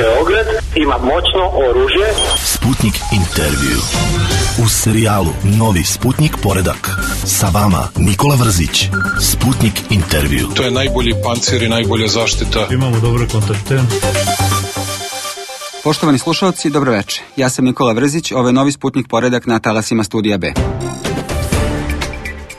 Beograd ima moćno oružje. Sputnik intervju. U serijalu Novi Sputnik poredak. Sa vama Nikola Vrzić. Sputnik intervju. To je najbolji pancir i najbolja zaštita. Imamo dobre kontakte. Poštovani slušalci, dobro večer. Ja sam Nikola Vrzić, ovo je Novi Sputnik poredak na talasima Studija B.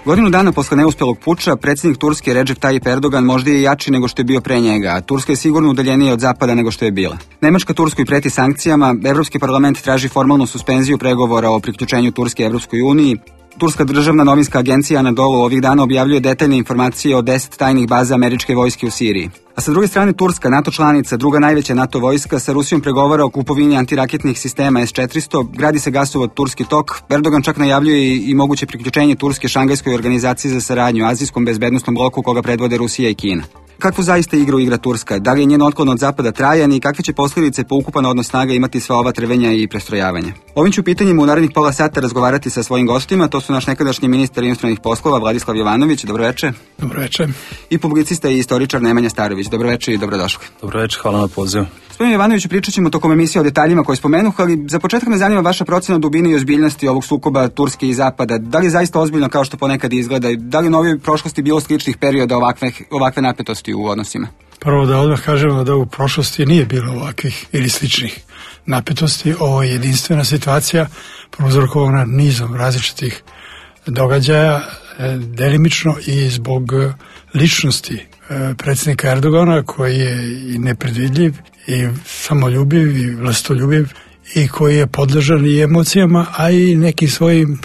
Godinu dana posle neuspelog puča, predsjednik Turske Recep Tayyip Erdogan možda je jači nego što je bio pre njega, a Turska je sigurno udaljenija od zapada nego što je bila. Nemačka Turskoj preti sankcijama, Evropski parlament traži formalnu suspenziju pregovora o priključenju Turske Evropskoj uniji, Turska državna novinska agencija Anadolu ovih dana objavljuje detaljne informacije o 10 tajnih baza američke vojske u Siriji. A sa druge strane Turska, NATO članica, druga najveća NATO vojska, sa Rusijom pregovara o kupovini antiraketnih sistema S-400, gradi se gasovod Turski tok, Erdogan čak najavljuje i moguće priključenje Turske Šangajskoj organizaciji za saradnju, azijskom bezbednostnom bloku koga predvode Rusija i Kina. Kakvu zaista igru igra Turska? Da li je njen otklon od zapada trajan i kakve će posljedice po ukupan odnos snaga imati sva ova trvenja i prestrojavanja? Ovim ću pitanjima u narednih pola sata razgovarati sa svojim gostima. To su naš nekadašnji ministar inostranih poslova Vladislav Jovanović. Dobro večer. Dobro večer. I publicista i istoričar Nemanja Starović. Dobro večer i dobrodošli. Dobro večer, hvala na pozivu. Gospodine Jovanoviću, pričat ćemo tokom emisije o detaljima koje spomenuh, ali za početak me zanima vaša procena dubine i ozbiljnosti ovog sukoba Turske i zapada. Da li je zaista ozbiljno kao što ponekad izgleda? Da li u novoj prošlosti bilo sličnih perioda ovakve napetosti u odnosima? Prvo da odmah kažemo da u prošlosti nije bilo ovakvih ili sličnih napetosti. Ovo je jedinstvena situacija prouzrokovana nizom različitih događaja, delimično i zbog ličnosti predsjednika Erdogana, koji je i nepredvidljiv i samoljubiv i vlastoljubiv i koji je podložan i emocijama, a i nekim svojim,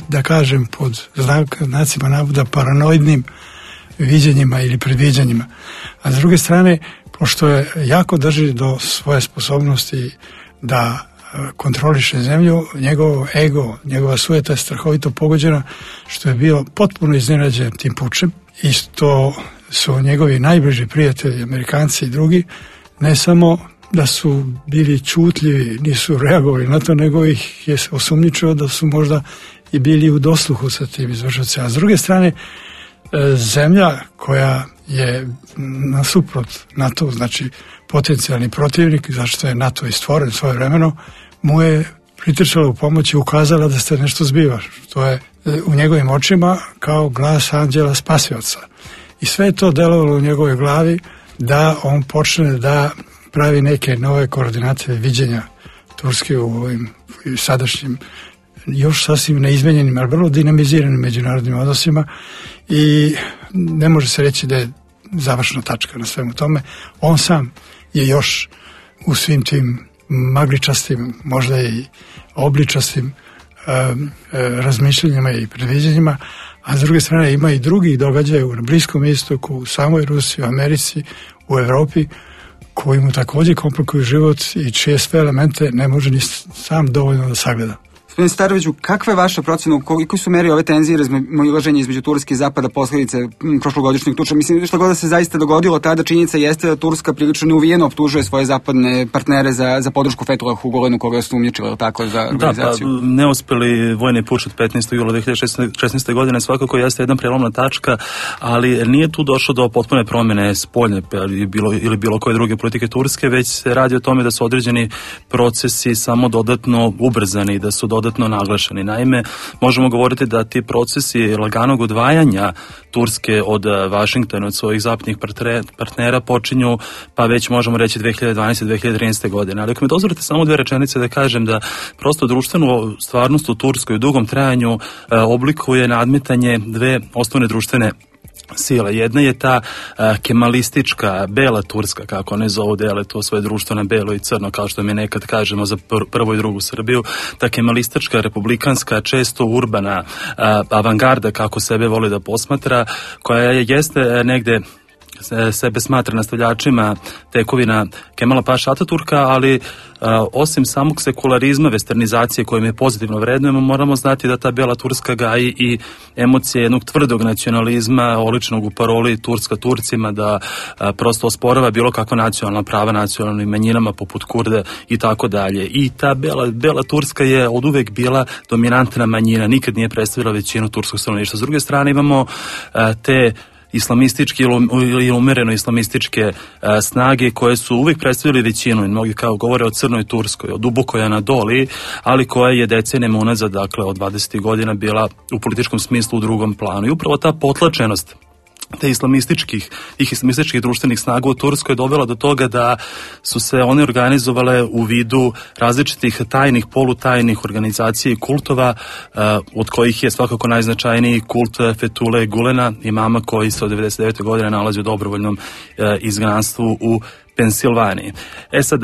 da kažem pod znacima navoda, paranoidnim viđenjima ili predviđanjima. A s druge strane, pošto je jako drži do svoje sposobnosti da kontroliše zemlju, njegov ego, njegova sujeta je strahovito pogođena, što je bio potpuno iznenađen tim pučem i što su njegovi najbliži prijatelji, Amerikanci i drugi, ne samo da su bili čutljivi, nisu reagovali na to, nego ih je osumnjičio da su možda i bili u dosluhu sa tim izvršocima. A s druge strane, zemlja koja je nasuprot NATO, znači potencijalni protivnik, zašto je NATO i stvoren svojevremeno, mu je pritrčala u pomoć i ukazala da se nešto zbiva, što je u njegovim očima kao glas anđela spasioca. I sve je to delovalo u njegovoj glavi da on počne da pravi neke nove koordinate viđenja Turske u ovim sadašnjim, još sasvim neizmenjenim, ali vrlo dinamiziranim međunarodnim odnosima i ne može se reći da je završna tačka na svemu tome. On sam je još u svim tim magličastim, možda i obličastim razmišljanjima i predviđanjima, a s druge strane ima i drugih događaja na Bliskom istoku, u samoj Rusiji, u Americi, u Evropi, koji mu također komplikuju život i čije sve elemente ne može ni sam dovoljno da sagleda. Gospodine Staroviću, kakva je vaša procena, koliko su meri ove tenzije ilaženja između Turske i zapada posljedice prošlogodišnjeg tuča? Mislim, što god da se zaista dogodilo, tada činjenica jeste da Turska prilično neuvijeno optužuje svoje zapadne partnere za podršku Fethullahу Gulenu, koga su umnjičili, tako, za organizaciju. Da, pa neuspeli vojni puč od 15. jula 2016. godine svakako jeste jedna prelomna tačka, ali nije tu došlo do potpune promjene spoljne ili bilo koje druge politike Turske, već se radi o tome da su određeni procesi samo dodatno ubrzani, da su dodatno naglašeni. Naime, možemo govoriti da ti procesi laganog odvajanja Turske od Vašingtona, od svojih zapadnih partnera počinju, pa već možemo reći 2012-2013. godine. Ali ako mi dozvolite samo dve rečenice da kažem da prosto društvenu stvarnost u Turskoj u dugom trajanju oblikuje nadmetanje dve osnovne društvene sile. Jedna je ta kemalistička, bela Turska, kako one zovu, dele to svoje društvo na belo i crno, kao što mi nekad kažemo za prvu i drugu Srbiju. Ta kemalistička, republikanska, često urbana avangarda, kako sebe voli da posmatra, koja jeste negde sebe smatra nastavljačima tekovina Kemala Paše Ataturka, ali osim samog sekularizma, westernizacije koju mi pozitivno vrednujemo, moramo znati da ta bela Turska gaji i emocije jednog tvrdog nacionalizma, oličenog u paroli Turska Turcima, da prosto osporava bilo kakva nacionalna prava nacionalnim manjinama poput Kurde i tako dalje. I ta bela Turska je oduvek bila dominantna manjina, nikad nije predstavila većinu turskog stanovništva. S druge strane imamo te islamistički ili umereno islamističke snage koje su uvijek predstavili većinu i mnogi kao govore o Crnoj Turskoj, o dubokoj Anadoliji, ali koja je decenijama unazad, dakle od 20. godina bila u političkom smislu u drugom planu. I upravo ta potlačenost te islamističkih društvenih snaga u Turskoj dovela do toga da su se one organizovale u vidu različitih tajnih, polutajnih organizacija i kultova, od kojih je svakako najznačajniji kult Fethullah Gulena, imama koji se od 99. godine nalazi u dobrovoljnom izgnanstvu u Pensilvaniji. Sad,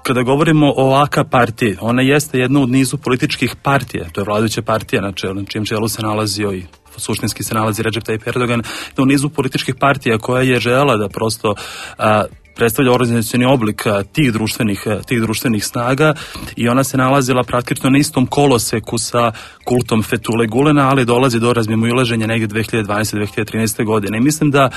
kada govorimo o AK partiji, ona jeste jedna od nizu političkih partija, to je vladajuća partija na čijem čelu se nalazio i suštinski se nalazi Recep Tayyip Erdogan, u nizu političkih partija koja je želela da prosto predstavlja organizacioni oblik tih društvenih snaga i ona se nalazila praktično na istom koloseku sa kultom Fethullah Gulena, ali dolazi do razmimoilaženja negdje 2012-2013. godine. I mislim da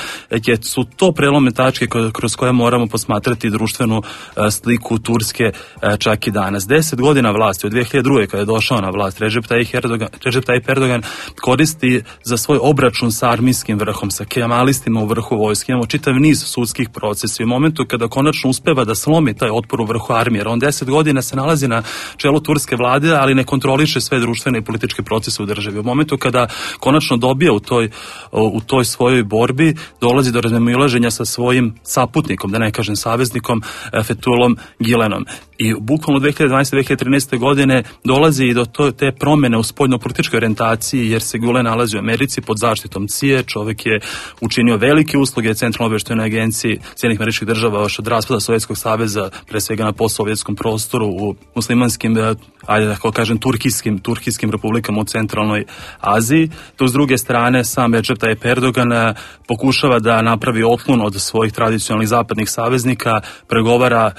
su to prelomne tačke kroz koje moramo posmatrati društvenu sliku Turske čak i danas. 10 godina vlasti, od 2002. kada je došao na vlast, Recep Tayyip Erdogan koristi za svoj obračun sa armijskim vrhom, sa kemalistima u vrhu vojske. Imamo čitav niz sudskih procesa i u momentu kada konačno uspeva da slomi taj otpor u vrhu armije, jer on 10 godina se nalazi na čelu turske vlade, ali ne kontroliše sve društvene i političke procese u državi. U momentu kada konačno dobija u toj svojoj borbi, dolazi do razmimoilaženja sa svojim saputnikom, da ne kažem saveznikom, Fethullahom Gülenom. I bukvalno 2012-2013. godine dolazi i do te promjene u spoljno-političkoj orijentaciji, jer se Gülen nalazi u Americi pod zaštitom CIA. Čovjek je učinio velike usluge Centralnoj obavještajnoj agenciji Sjedinjenih Američkih Država još od raspada Sovjetskog saveza, pre svega na postsovjetskom prostoru, u muslimanskim, ajde da kažem, turkijskim republikama u centralnoj Aziji. To s druge strane sam Recep Tayyip Erdogan pokušava da napravi otklon od svojih tradicionalnih zapadnih saveznika, pregovara,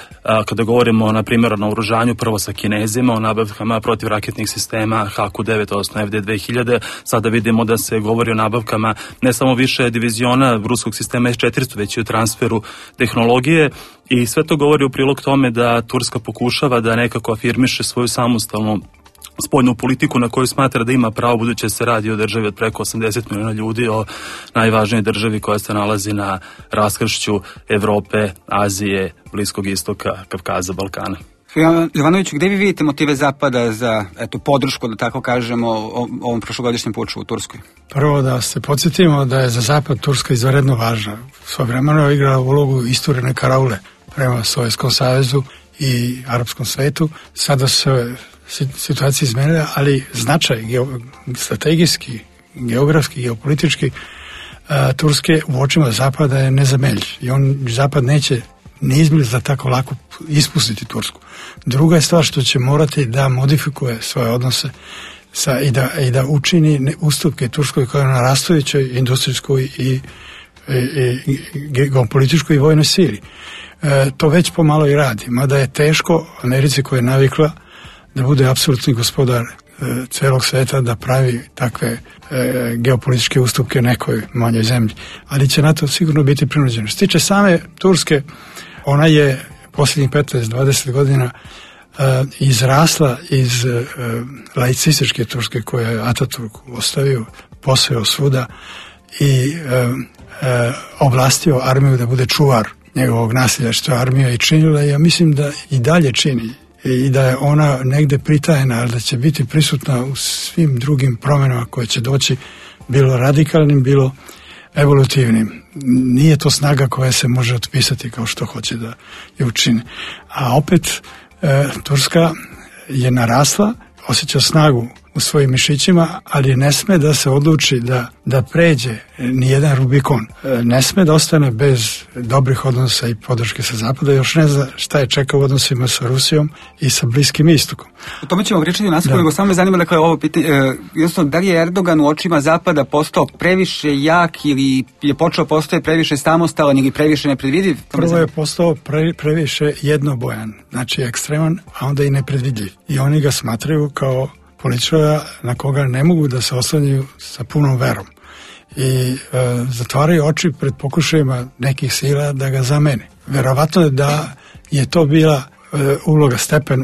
kada govorimo na primjer o naoružanju, prvo sa Kinezima, o nabavkama protivraketnih sistema HQ-9, odnosno FD-2000. Sada vidimo da se govori o nabavkama ne samo više diviziona ruskog sistema S-400, već i o transferu tehnologije, i sve to govori u prilog tome da Turska pokušava da nekako afirmiše svoju samostalnu spoljnu politiku na koju smatra da ima pravo, budući se radi o državi od preko 80 milijuna ljudi, o najvažnijoj državi koja se nalazi na raskršću Evrope, Azije, Bliskog istoka, Kavkaza, Balkana. Jovanoviću, gdje vi vidite motive Zapada za podršku, da tako kažemo, ovom prošlogodišnjem puču u Turskoj? Prvo da se podsjetimo da je za Zapad Turska izvanredno važna. Svojevremeno je igrala ulogu isturene karaule prema Sovjetskom savezu i arapskom svetu. Sada se situacija izmenila, ali značaj strategijski, geografski, geopolitički Turske u očima Zapada je nezameljiv. I Zapad neće neizmjerno za tako lako ispustiti Tursku. Druga je stvar što će morati da modifikuje svoje odnose i da učini ustupke Turskoj koja je na rastujućoj industrijskoj i geopolitičkoj i vojnoj sili. To već pomalo i radi, mada je teško Americi koja je navikla da bude apsolutni gospodar celog sveta, da pravi takve geopolitičke ustupke nekoj manjoj zemlji. Ali će na to sigurno biti prinuđeno. Što se tiče same Turske, ona je posljednjih 15-20 godina izrasla iz laicističke Turske koje je Ataturk ostavio, posveo svuda i ovlastio armiju da bude čuvar njegovog nasilja, što je armija i činila. Ja mislim da i dalje čini i da je ona negde pritajena, ali da će biti prisutna u svim drugim promjenama koje će doći, bilo radikalnim, bilo evolutivnim. Nije to snaga koja se može otpisati kao što hoće da je učini. A opet Turska je narasla, osjeća snagu u svojim mišićima, ali ne sme da se odluči da pređe nijedan Rubikon. Ne sme da ostane bez dobrih odnosa i podrške sa Zapada. Još ne zna šta je čeka u odnosima sa Rusijom i sa Bliskim istokom. O tome ćemo pričati u nastavku, nego samo me zanima, dakle, ovo pitanje, jednostavno, da li je Erdogan u očima Zapada postao previše jak ili je počeo postao previše samostalan ili previše nepredvidiv? Prvo je postao previše jednobojan, znači ekstreman, a onda i nepredvidljiv. I oni ga smatraju kao političara na koga ne mogu da se oslanjaju sa punom verom. I zatvaraju oči pred pokušajima nekih sila da ga zamene. Verovatno je da je to bila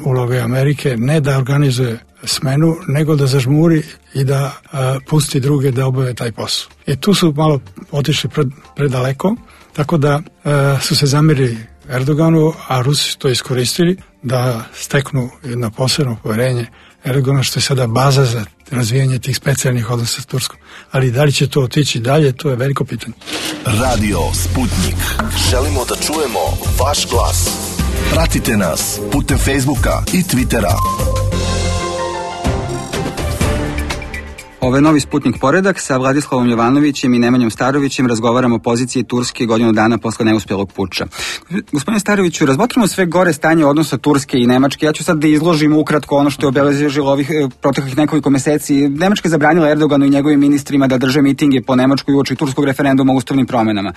uloga Amerike, ne da organizuje smenu, nego da zažmuri i da pusti druge da obave taj posao. I tu su malo otišli predaleko, tako da su se zamerili Erdoganu, a Rusi su to iskoristili da steknu jedno posebno poverenje Erdogana, što je sada baza za razvijanje tih specijalnih odnosa s Turskom. Ali da li će to otići dalje, to je veliko pitanje. Radio Sputnik. Želimo da čujemo vaš glas. Pratite nas putem Facebooka i Twittera. Ovo je novi Sputnik poredak. Sa Vladislavom Jovanovićem i Nemanjom Starovićem razgovaramo o poziciji Turske godinu dana posle neuspjelog puča. Gospodine Staroviću, razmotrimo sve gore stanje odnosa Turske i Nemačke. Ja ću sad da izložim ukratko ono što je obeležilo ovih proteklih nekoliko meseci. Nemačka je zabranila Erdoganu i njegovim ministrima da drže mitinge po Nemačkoj uoči turskog referenduma o ustavnim promenama.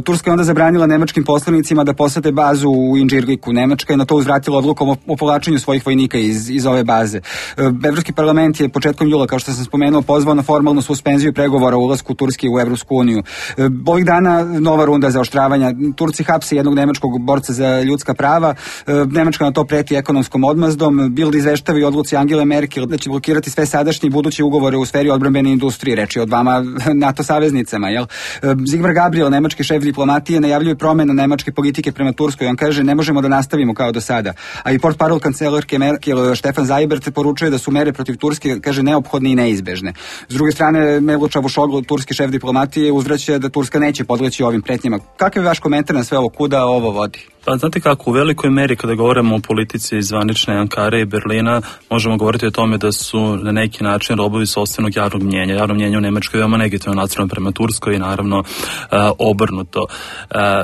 Turska je onda zabranila nemačkim poslanicima da posete bazu u Inđirliku. Nemačka je na to uzvratila odlukom o povlačenju svojih vojnika iz ove baze. Evropski parlament je početkom jula, kao što sam spomenuo, pozvao na formalnu suspenziju pregovora o ulasku Turske u Evropsku uniju. Ovih dana nova runda zaoštravanja. Turci hapse jednog nemačkog borca za ljudska prava. Nemačka na to preti ekonomskom odmazdom. Bild izveštava i odluci Angele Merkel da će blokirati sve sadašnje i buduće ugovore u sferi odbrambene industrije. Reč je o dvama NATO saveznicama. Sigmar Gabriel, nemački šef diplomatije, najavljuje promjenu nemačke politike prema Turskoj. On kaže ne možemo da nastavimo kao do sada. A i portparol kancelarke Merkel Stefan Seibert poručuje da su mere protiv Turske, kaže, neophodne i neizbežne. S druge strane, Mevlut Čavuşoglu, turski šef diplomatije, uzvraća da Turska neće podleći ovim pretnjama. Kakav je vaš komentar na sve ovo, kuda ovo vodi? Pa znate kako, u velikoj meri kada govorimo o politici zvanične Ankare i Berlina, možemo govoriti o tome da su na neki način robovi sopstvenog javnog mnjenja. Javno mnjenje u Nemačkoj je veoma negativno nacionalno prema Turskoj i naravno obrnuto.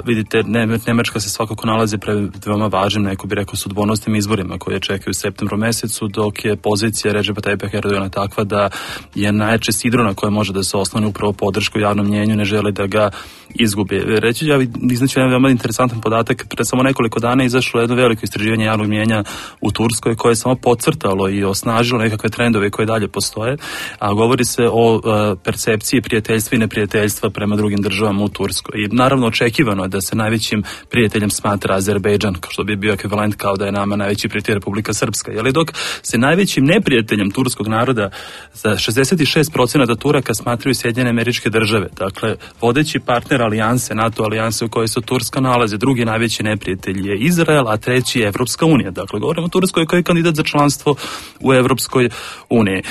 Vidite, Nemačka se svakako nalazi pred veoma važnim, neko bi rekao, sudbonosnim izborima koje čekaju u septembru mesecu, dok je pozicija Redžepa Tajjipa Erdogana takva da je najjače sidro na koje može da se osloni upravo podršku javnom mnjenju, ne želi da ga izgubi. Reći ću, ja iznaću jedan veoma interesantan podatak. Pred samo nekoliko dana izašlo jedno veliko istraživanje javnog mnjenja u Turskoj koje je samo podcrtalo i osnažilo nekakve trendove koje dalje postoje, a govori se o percepciji prijateljstva i neprijateljstva prema drugim državama u Turskoj. I naravno očekivano je da se najvećim prijateljem smatra Azerbejdžan, kao što bi bio ekvivalent kao da je nama najveći prijatelj Republika Srpska. Jeli, dok se najvećim neprijateljem turskog naroda za 66% Turaka smatraju Sjedinjene Američke Države. Dakle, vodeći partner alijanse, NATO alijanse u kojoj se Turska nalazi, drugi najveći neprijatelj je Izrael, a treći je Evropska unija. Dakle, govorimo o Turskoj koja je kandidat za članstvo u Evropskoj uniji.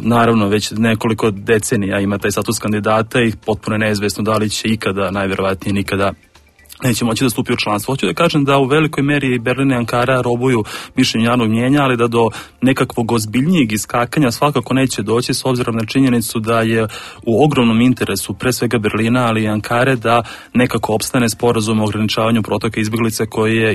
Naravno, već nekoliko decenija ima taj status kandidata i potpuno neizvesno da li će ikada, najverovatnije nikada, neće moći da stupi u članstvo. Hoću da kažem da u velikoj meri Berlin i Ankara robuju mišljenju javnog mnjenja, ali da do nekakvog ozbiljnijeg iskakanja svakako neće doći, s obzirom na činjenicu da je u ogromnom interesu pre svega Berlina, ali i Ankare, da nekako opstane sporazum o ograničavanju protoka izbjeglica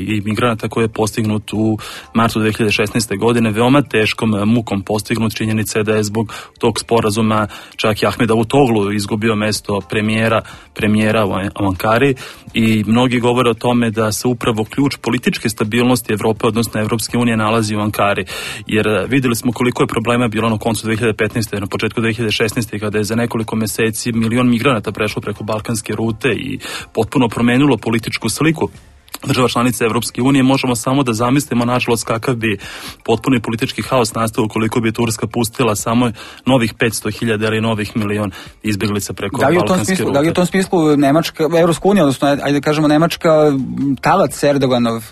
i migranata koji je postignut u martu 2016. godine, veoma teškom mukom postignut. Činjenica je da je zbog tog sporazuma čak i Ahmed Davutoglu izgubio mesto premijera u Ankari i mnogi govore o tome da se upravo ključ političke stabilnosti Evrope, odnosno Evropske unije, nalazi u Ankari. Jer vidjeli smo koliko je problema bilo na koncu 2015. na početku 2016. kada je za nekoliko meseci 1 milion migranata prešlo preko balkanske rute i potpuno promenilo političku sliku država članica Evropske unije. Možemo samo da zamislimo, nažalost, kakav bi potpuni politički haos nastao ukoliko bi Turska pustila samo novih 500.000 ili novih 1 milion izbjeglica preko balkanske rute. Da li u tom smislu Nemačka, Evropska unija, odnosno, ajde da kažemo, Nemačka talac Erdoganov?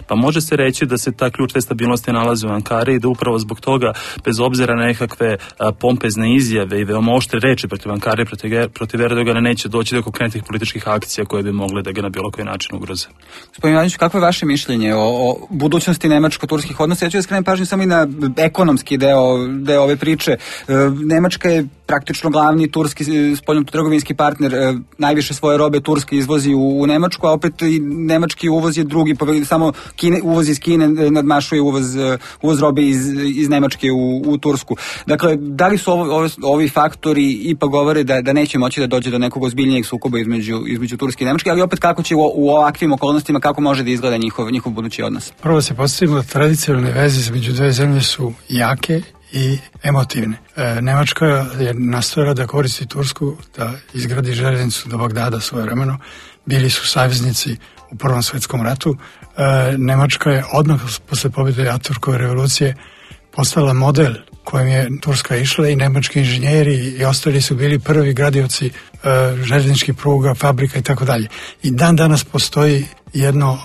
Pa može se reći da se ta ključ te stabilnosti nalazi u Ankari i da upravo zbog toga, bez obzira na nekakve pompezne izjave i veoma oštre reči protiv Ankare, protiv Erdogana, neće doći do konkretnih političkih akcija koje bi mogle da ga na bilo koji način ugroze. Gospodin Ivanić, kako je vaše mišljenje o budućnosti nemačko-turskih odnosa? Ja ću da skrenem pažnju samo i na ekonomski deo ove priče. Nemačka je praktično glavni turski spoljnotrgovinski partner. Najviše svoje robe Turska izvozi u Nemačku, a opet i nemački uvoz je drugi, samo uvoz iz Kine nadmašuje uvoz robe iz Nemačke u Tursku. Dakle, da li su ovi faktori ipak govore da neće moći da dođe do nekog ozbiljnijeg sukoba između Turske i Nemačke, ali opet kako će u ovakvim okolnostima, kako može da izgleda njihov budući odnos? Prvo se postavimo da tradicionalne veze između dve zemlje su jake i emotivne. Nemačka je nastojala da koristi Tursku da izgradi željeznicu do Bagdada svojevremeno. Bili su saveznici u Prvom svjetskom ratu. Nemačka je odmah posle pobjede Atatürkove revolucije postala model kojim je Turska išla i nemački inženjeri i ostali su bili prvi gradioci željezničkih pruga, fabrika i tako dalje. I dan danas postoji jedno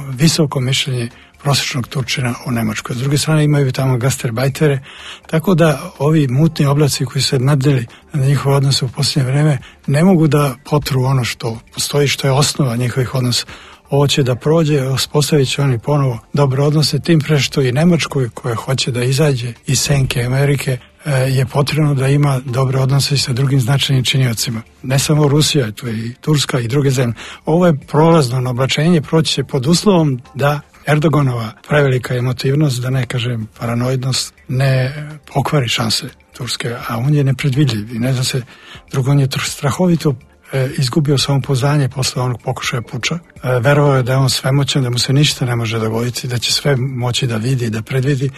visoko mišljenje prosječnog Turčina u Nemačkoj. S druge strane imaju tamo gastarbajtere, tako da ovi mutni oblaci koji se nadeli na njihove odnose u posljednje vreme ne mogu da potru ono što postoji, što je osnova njihovih odnosa. Ovo će da prođe, uspostavit će oni ponovo dobre odnose, tim pre što i Nemačkoj koja hoće da izađe iz senke Amerike je potrebno da ima dobre odnose sa drugim značajnim činiocima. Ne samo Rusija, tu je i Turska i druge zemlje. Ovo je prolazno oblačenje, proći će pod uslovom da Erdoganova prevelika emotivnost, da ne kažem paranoidnost, ne pokvari šanse Turske, a on je nepredvidljiv i ne zna se, drugo on je strahovito izgubio samopouzdanje posle onog pokušaja puča. Verovao je da je on svemoćan, da mu se ništa ne može dogoditi, da će sve moći da vidi i da predvidi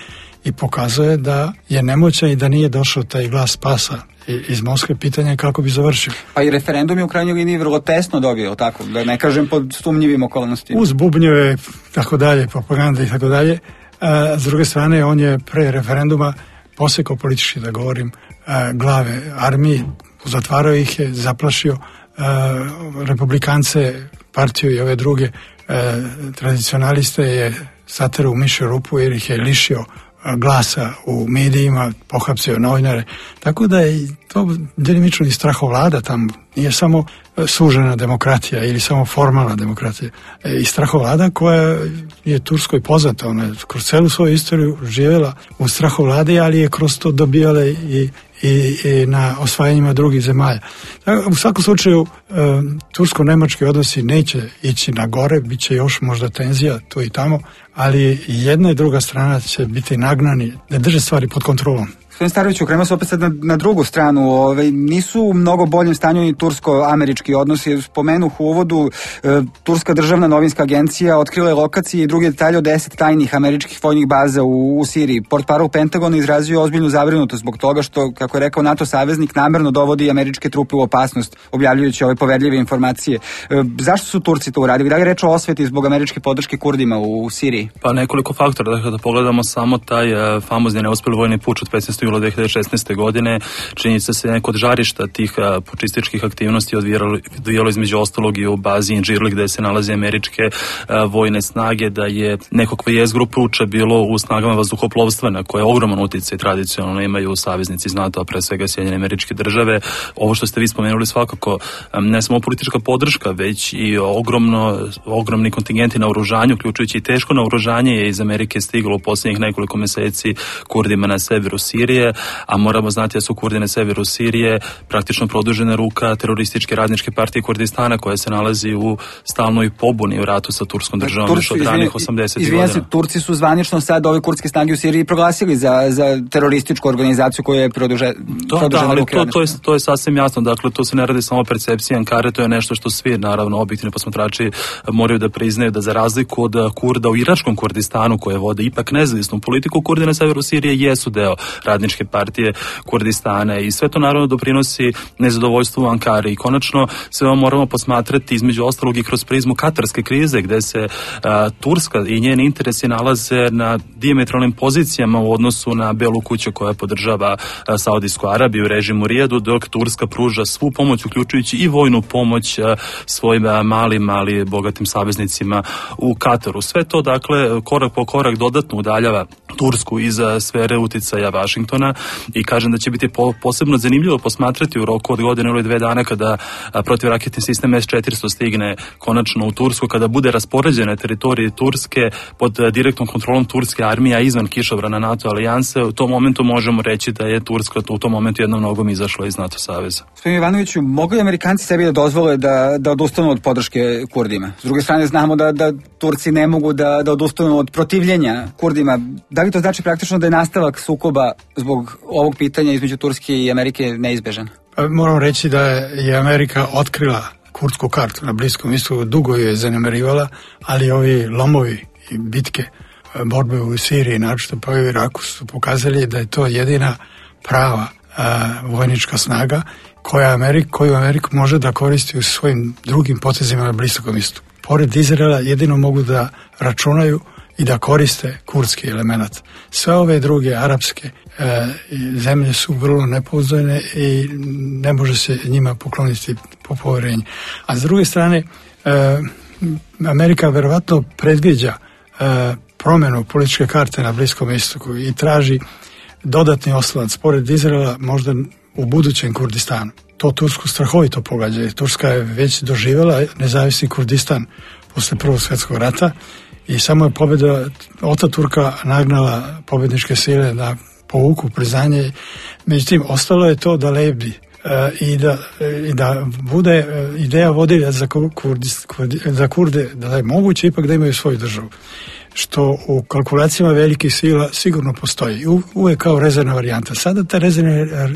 i pokazuje da je nemoćan i da nije došao taj glas spasa iz Moskve. Pitanje kako bi završio. Pa i referendum je u krajnjoj liniji vrlo tesno dobio, tako, da ne kažem pod sumnjivim okolnostima. Uz bubnjeve, tako dalje, propaganda i tako dalje. S druge strane, on je pre referenduma posekao politički, da govorim, glave armiji, zatvarao ih je, zaplašio republikance, partiju i ove druge tradicionaliste je saterao u mišju rupu jer ih je lišio glasa u medijima, pohapsio novinare. Tako da je to delimično i strahovlada tamo. Nije samo sužena demokratija ili samo formalna demokratija. I strahovlada koja je Turskoj poznata. Ona je kroz celu svoju istoriju živjela u strahovladi, ali je kroz to dobijala i na osvajanjima drugih zemalja. U svakom slučaju, tursko-nemački odnosi neće ići na gore, bit će još možda tenzija tu i tamo, ali jedna i druga strana će biti nagnani da drže stvari pod kontrolom. Gospodin Staroviću, krenemo se opet sad na drugu stranu. Nisu u mnogo boljem stanju ni tursko-američki odnosi. Spomenuh u uvodu, Turska državna novinska agencija otkrila je lokacije i druge detalje od 10 tajnih američkih vojnih baza u Siriji. Portparol Pentagona izrazio ozbiljnu zabrinutost zbog toga što, kako je rekao NATO saveznik, namerno dovodi američke trupe u opasnost, objavljujući ove poverljive informacije. Zašto su Turci to uradili? Da li je reč o osveti zbog američke podrške Kurdima u Siriji? Pa nekoliko faktora. Dakle, da pogledamo samo taj famozni neuspeli vojni puč od 15. jula 2016. godine, činjenica se neko od žarišta tih pučističkih aktivnosti odvijalo između ostalog i u bazi Inđirli gde se nalaze američke vojne snage, da je nekakva jezgru puča bilo u snagama vazduhoplovstva na koje ogroman uticaj tradicionalno imaju saveznici iz NATO, a pre svega Sjedinjene Američke Države. Ovo što ste vi spomenuli svakako ne samo politička podrška, već i ogromni kontingenti na oružanju, uključujući i teško naoružanje je iz Amerike stiglo u posljednjih nekoliko meseci Kurdima na severu Sirije, a moramo znati da su Kurdi na severu Sirije praktično produžena ruka terorističke radničke partije Kurdistana koja se nalazi u stalnoj pobuni u ratu sa turskom državom još od ranih 80. godina. Turci su zvanično sad ove kurdske snage u Siriji proglasili za terorističku organizaciju koja je produžena ruke. To je sasvim jasno, dakle to se ne radi samo o percepciji Ankare, to je nešto što svi naravno objektivni posmatrači moraju da priznaju da za razliku od Kurda u iračkom Kurdistanu koje vode ipak nezavisnu politiku, Kurdi na severu Sirije jesu deo radničke partije Kurdistana i sve to naravno doprinosi nezadovoljstvu u Ankari i konačno sve ovo moramo posmatrati između ostalog i kroz prizmu katarske krize gde se Turska i njeni interesi nalaze na dijametralnim pozicijama u odnosu na Belu kuću koja podržava Saudijsku Arabiju, režim u Rijadu, dok Turska pruža svu pomoć uključujući i vojnu pomoć svojim malim, ali bogatim saveznicima u Kataru. Sve to dakle korak po korak dodatno udaljava Tursku iz sfere uticaja Vašingtona i kažem da će biti posebno zanimljivo posmatrati u roku od godine ili 2 dana kada protivraketni sistem S-400 stigne konačno u Tursku, kada bude raspoređen na teritoriji Turske pod direktnom kontrolom turske armije, a izvan kišobrana NATO alijanse. U tom momentu možemo reći da je Turska u tom momentu jednom nogom izašla iz NATO saveza. Gospodin Ivanoviću, mogu li Amerikanci sebi da dozvole da odustanu od podrške Kurdima? S druge strane znamo da Turci ne mogu da odustanu od protivljenja Kurdima. Da li to znači praktično da je nastavak sukoba zbog ovog pitanja između Turske i Amerike neizbežan? Moram reći da je Amerika otkrila kurdsku kartu na Bliskom istoku, dugo je zanemarivala, ali ovi lomovi i bitke, borbe u Siriji, naročito pa i u Iraku, su pokazali da je to jedina prava vojnička snaga koju Amerika može da koristi u svojim drugim potezima na Bliskom istoku. Pored Izraela jedino mogu da računaju i da koriste kurdski element. Sve ove druge arapske zemlje su vrlo nepouzdane i ne može se njima pokloniti po poverenju. A s druge strane, Amerika verovatno predviđa promjenu političke karte na Bliskom istoku i traži dodatni oslonac pored Izraela možda u budućem Kurdistanu. To Tursku strahovito pogađa. Turska je već doživjela nezavisni Kurdistan posle Prvog svjetskog rata i samo je pobjeda Ataturka nagnala pobjedničke sile da povuku priznanje. Međutim, ostalo je to da lebdi i da bude ideja vodilja za Kurde da je moguće ipak da imaju svoju državu, što u kalkulacijama velikih sila sigurno postoji. Uvijek kao rezervna varijanta. Sada ta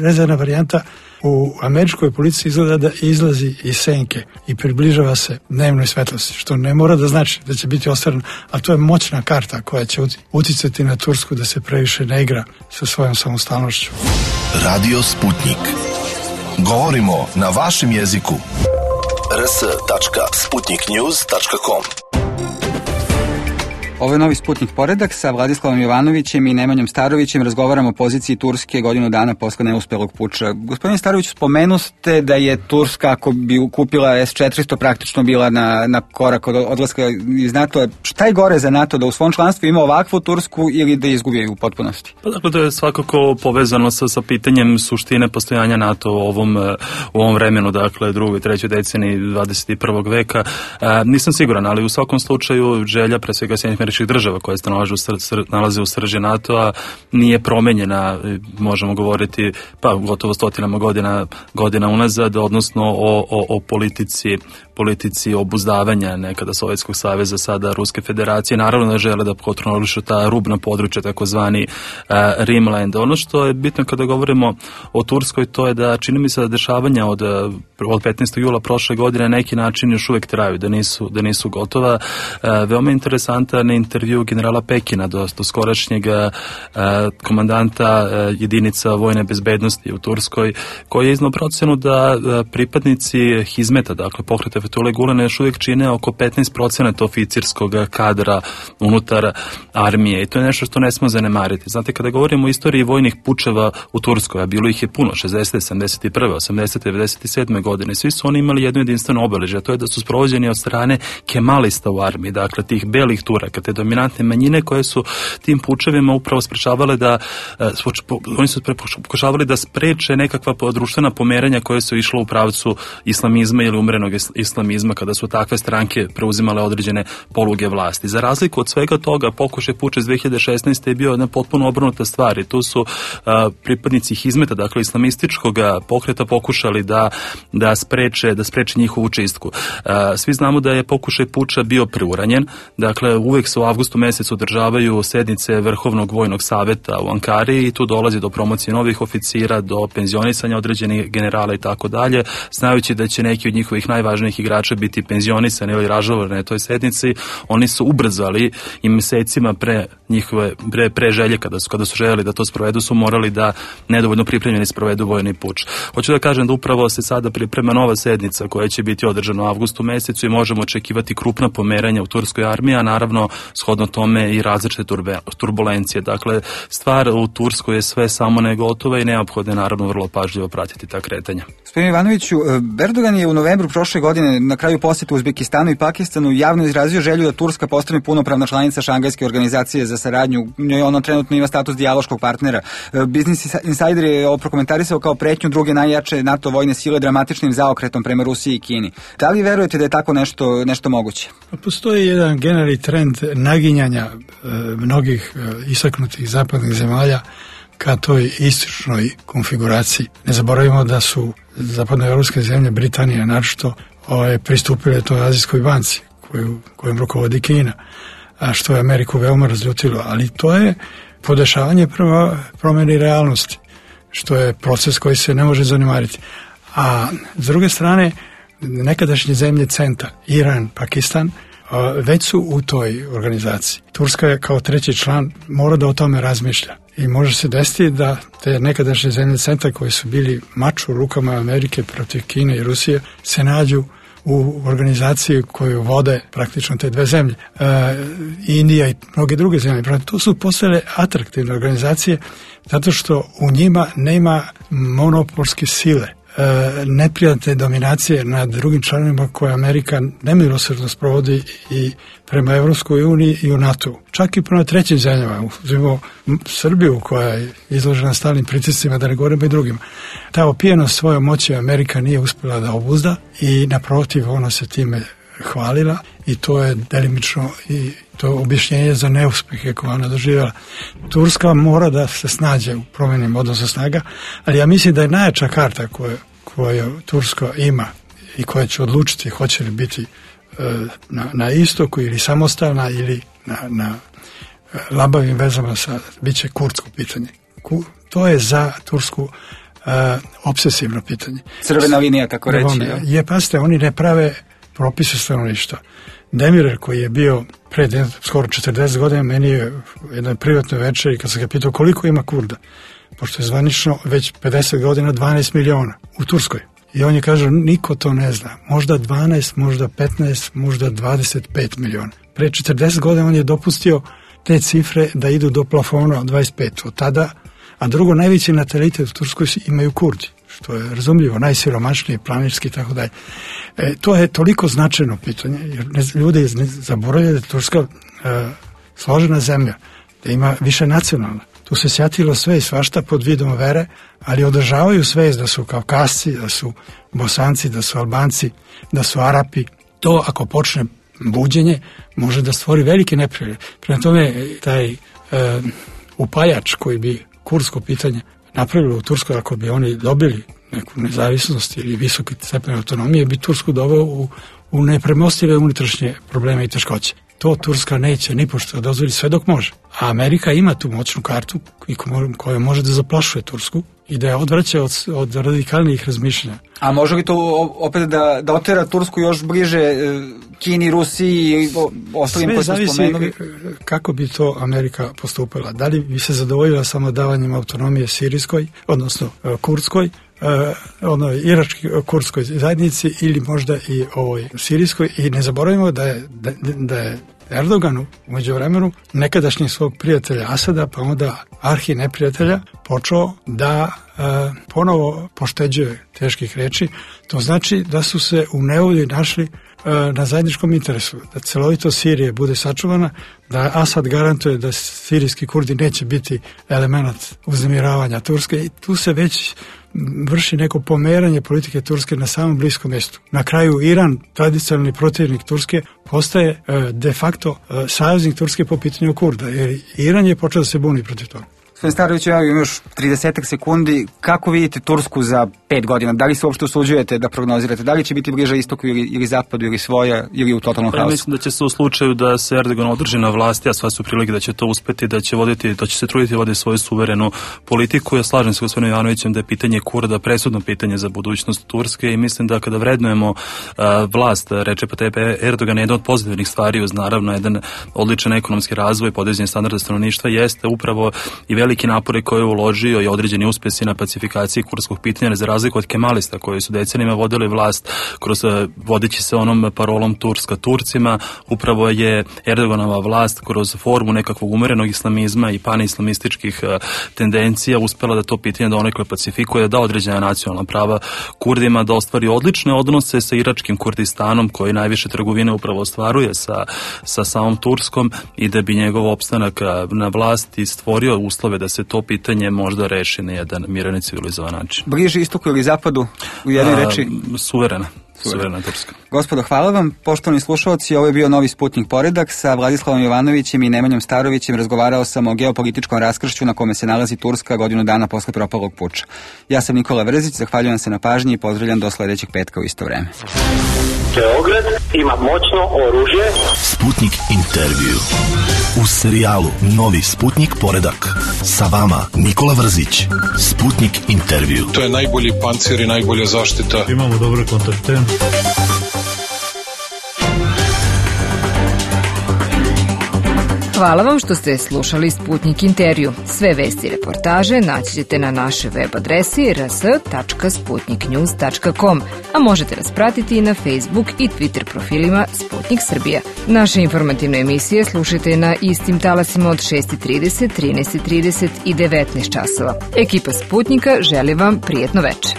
rezervna varijanta u američkoj policiji izgleda da izlazi iz senke i približava se dnevnoj svetlosti, što ne mora da znači da će biti ostvareno, a to je moćna karta koja će uticati na Tursku da se previše ne igra sa svojom samostalnošću. Radio Sputnik. Govorimo na vašem jeziku. rs.sputniknews.com. Ovo je novi Sputnik poredak sa Vladislavom Jovanovićem i Nemanjom Starovićem. Razgovaramo o poziciji Turske godinu dana posle neuspelog puča. Gospodine Starović, spomenuste da je Turska, ako bi kupila S-400, praktično bila na korak od odlaska iz NATO. Šta je gore za NATO, da u svom članstvu ima ovakvu Tursku ili da izgubi u potpunosti? Pa dakle, to je svakako povezano sa pitanjem suštine postojanja NATO u ovom vremenu, dakle, drugoj i trećoj deceniji 21. veka. Nisam siguran, ali u svakom slučaju želja, pre svega Sjedinjenih Američkih Država, koje se nalaze u srži NATO-a, nije promenjena, možemo govoriti, pa gotovo stotinama godina unazad, odnosno o politici obuzdavanja nekada Sovjetskog saveza, sada Ruske federacije. Naravno da žele da kontrolišu ta rubna područja, takozvani Rimland. Ono što je bitno kada govorimo o Turskoj, to je da čini mi se da dešavanja od 15. jula prošle godine na neki način još uvijek traju, da nisu gotova. Veoma interesantan intervju generala Pekina, do skorašnjeg komandanta jedinica vojne bezbednosti u Turskoj, koji je iznao procenu da pripadnici Hizmeta, dakle pokreta Fethullah Gulena, još uvijek čine oko 15% oficirskog kadra unutar armije, i to je nešto što ne smemo zanemariti. Znate, kada govorimo o istoriji vojnih pučeva u Turskoj, a bilo ih je puno, 60. 71. 80. 97. godine, svi su oni imali jedno jedinstveno obeležje, a to je da su sprovođeni od strane kemalista u armiji, dakle tih belih Turaka, te dominantne manjine koje su tim pučevima upravo sprečavale oni su pokušavali da spreče nekakva društvena pomeranja koje su išla u pravcu islamizma ili umrenog islamizma, kada su takve stranke preuzimale određene poluge vlasti. Za razliku od svega toga, pokušaj puča iz 2016. je bio jedna potpuno obrnuta stvar i tu su pripadnici Hizmeta, dakle islamističkog pokreta, pokušali da spreče njihovu čistku. Svi znamo da je pokušaj puča bio preuranjen, dakle uvek se u avgustu mesecu održavaju sednice Vrhovnog vojnog saveta u Ankari i tu dolazi do promocije novih oficira, do penzionisanja određenih generala i tako dalje, znajući da će neki od njihovih najvažnijih igrača biti penzionisani ili ražalovani na toj sednici. Oni su ubrzali i mesecima pre želje, kada su željeli da to sprovedu, su morali da nedovoljno pripremljeni sprovedu vojni puč. Hoću da kažem da upravo se sada priprema nova sednica koja će biti održana u avgustu mesecu i možemo očekivati krupna pomeranja u turskoj armiji, a naravno shodno tome i različite turbulencije. Dakle, stvar u Turskoj je sve samo ne gotova i neophodno je naravno vrlo pažljivo pratiti ta kretanja. Gospodine Ivanoviću, Erdogan je u novembru prošle godine na kraju posjeta Uzbekistanu i Pakistanu javno izrazio želju da Turska postane punopravna članica Šangajske organizacije za saradnju. Ona trenutno ima status dijaloškog partnera. Business Insider je ovo prokomentarisao kao pretnju druge najjače NATO vojne sile dramatičnim zaokretom prema Rusiji i Kini. Da li verujete da je tako nešto moguće? Postoji jedan generalni trend naginjanja mnogih istaknutih zapadnih zemalja ka toj istočnoj konfiguraciji. Ne zaboravimo da su zapadnoevropske zemlje, Britanija naročito, pristupile toj Azijskoj banci kojom rukovodi Kina, a što je Ameriku veoma razljutilo. Ali to je podešavanje prema promjeni realnosti, što je proces koji se ne može zanemariti. A s druge strane, nekadašnje zemlje CENTA, Iran, Pakistan, već su u toj organizaciji. Turska je kao treći član mora da o tome razmišlja. I može se desiti da te nekadašnje zemlje CENTA koje su bili mač u rukama Amerike protiv Kine i Rusije se nađu u organizaciji koju vode praktično te dve zemlje, Indija i mnoge druge zemlje. To su postale atraktivne organizacije zato što u njima nema monopolske sile, neprijatne dominacije nad drugim članovima koje Amerika nemilosrdno sprovodi i prema Evropskoj uniji i u NATO. Čak i prema trećim zemljama, uzmimo Srbiju koja je izložena stalnim pritiscima, da ne govorimo i drugima. Ta opijenost svojom moći Amerika nije uspjela da obuzda i naprotiv ona se time hvalila i to je delimično i to objašnjenje za neuspehe koje ona doživjela. Turska mora da se snađe u promjenim odnosu snaga, ali ja mislim da je najjača karta koju Turska ima i koja će odlučiti hoće li biti na istoku ili samostalna ili na labavim vezama bit će kurdsko pitanje. To je za Tursku obsesivno pitanje. Crvena linija, kako reći. Pasite, oni ne prave propise stanovništva. Demirer koji je bio pred skoro 40 godina, meni je jednoj privatnoj večeri kad sam ga pitao koliko ima Kurda, pošto je zvanično već 50 godina 12 miliona u Turskoj. I on je kaže, niko to ne zna. Možda 12, možda 15, možda 25 miliona. Pre 40 godina on je dopustio te cifre da idu do plafona od 25. Od tada, a drugo, najveći natalitet u Turskoj imaju Kurdi, što je razumljivo, najsiromašniji, planinski i tako dalje. To je toliko značajno pitanje, jer ljudi ne zaboravljaju da je Turska složena zemlja, da ima više nacionalna. Tu se sjatilo sve i svašta pod vidom vere, ali održavaju svest da su Kaukasci, da su Bosanci, da su Albanci, da su Arapi. To ako počne buđenje može da stvori velike neprijatelje. Prema tome taj upajač koji bi kurdsko pitanje napravilo u Turskoj, ako bi oni dobili neku nezavisnost ili visoki stepen autonomije, bi Tursku doveo u nepremostive unutrašnje probleme i teškoće. To Turska neće ni pošto dozvoli sve dok može. A Amerika ima tu moćnu kartu koja može da zaplašuje Tursku i da je odvraća od radikalnih razmišljanja. A može li to opet da otera Tursku još bliže Kini, Rusiji i ostalim koji smo spomenuli? Sve zavisi kako bi to Amerika postupila. Da li bi se zadovoljila samo davanjem autonomije sirijskoj, odnosno kurdskoj, irački-kurdskoj zajednici ili možda i ovoj sirijskoj. I ne zaboravimo da je Erdoganu u međuvremenu nekadašnjeg svog prijatelja Asada, pa onda arhi neprijatelja, počeo da ponovo pošteđuje teških reči. To znači da su se u nevolji našli na zajedničkom interesu, da celovitost Sirije bude sačuvana, da Asad garantuje da sirijski Kurdi neće biti element uznemiravanja Turske i tu se već vrši neko pomeranje politike Turske na samom bliskom mjestu. Na kraju Iran, tradicionalni protivnik Turske, postaje de facto saveznik Turske po pitanju Kurda, jer Iran je počeo da se buni protiv toga. Gospodin Starović, ja imam još 30 sekundi. Kako vidite Tursku za 5 godina? Da li se uopšte usuđujete da prognozirate? Da li će biti bliže istoku ili zapadu ili svoja ili u totalnom haosu? Mislim da će se u slučaju da se Erdogan održi na vlasti, a sva su prilike da će to uspeti, da će se truditi voditi svoju suverenu politiku. Ja slažem se gospodinom Jovanovićem da je pitanje Kurda presudno pitanje za budućnost Turske i mislim da kada vrednujemo vlast Recepa Tayyipa Erdogana, jedna od pozitivnih stvari uz naravno jedan odličan ekonomski razvoj, podizanje standarda stanovništva jeste upravo i veliki napore koje je uložio i određeni uspjesi na pacifikaciji kurdskog pitanja, za razliku od kemalista koji su decenijima vodili vlast kroz vodeći se onom parolom Turska Turcima. Upravo je Erdoganova vlast kroz formu nekakvog umerenog islamizma i panislamističkih tendencija uspjela da to pitanje donekle pacifikuje, da određena nacionalna prava Kurdima, da ostvari odlične odnose sa iračkim Kurdistanom koji najviše trgovine upravo ostvaruje sa samom Turskom i da bi njegov opstanak na vlasti stvorio uslove da se to pitanje možda reši na jedan miran i civilizovan način. Bliže istoku ili zapadu u jednoj reči? Suverena Turska. Gospodo, hvala vam. Poštovani slušalci, ovo je bio Novi Sputnik Poredak. Sa Vladislavom Jovanovićem i Nemanjom Starovićem razgovarao sam o geopolitičkom raskršću na kome se nalazi Turska godinu dana posle propalog puča. Ja sam Nikola Vrzić, zahvaljujem se na pažnji i pozdravljam do sledećeg petka u isto vreme. Beograd ima moćno oružje. Sputnik intervju. U serijalu Novi Sputnik Poredak. Sa vama Nikola Vrzić. Sputnik intervju. To je najbolji pancir i najbolja zaštita. Imamo dobre kontakte. Hvala vam što ste slušali Sputnik intervju. Sve vesti i reportaže naći ćete na našoj web adresi rs.sputniknews.com, a možete nas pratiti i na Facebook i Twitter profilima Sputnik Srbija. Naše informativne emisije slušajte na istim talasima od 6:30, 13:30 i 19 časova. Ekipa Sputnika želi vam prijetno večer.